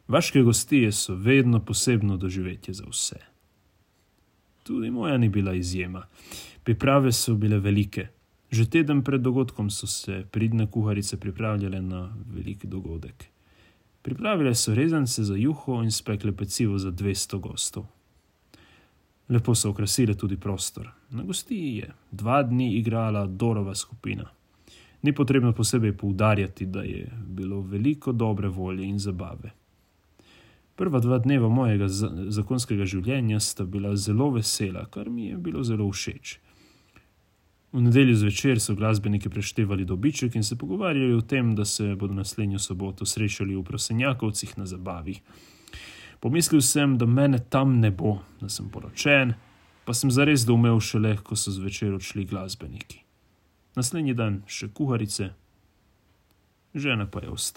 Vaške gostije so vedno posebno doživetje za vse. Tudi moja ni bila izjema. Priprave so bile velike. Že teden pred dogodkom so se pridne kuharice pripravljale na velik dogodek. Pripravile so rezance za juho in spekle pecivo za 200 gostov. Lepo so okrasile tudi prostor. Na gostiji je 2 dni igrala Dorova skupina. Ni potrebno posebej poudarjati, da je bilo veliko dobre volje in zabave. Prva 2 dneva mojega zakonskega življenja sta bila zelo vesela, kar mi je bilo zelo všeč. V nedeljo zvečer so glasbeniki preštevali dobiček in se pogovarjali o tem, da se bodo naslednjo soboto srečali v Prosenjakovcih na zabavi. Pomislil sem, da mene tam ne bo, da sem poročen, pa sem zares doumel šele, ko so zvečer odšli glasbeniki. Naslednji dan še kuharice, žena pa je ostala.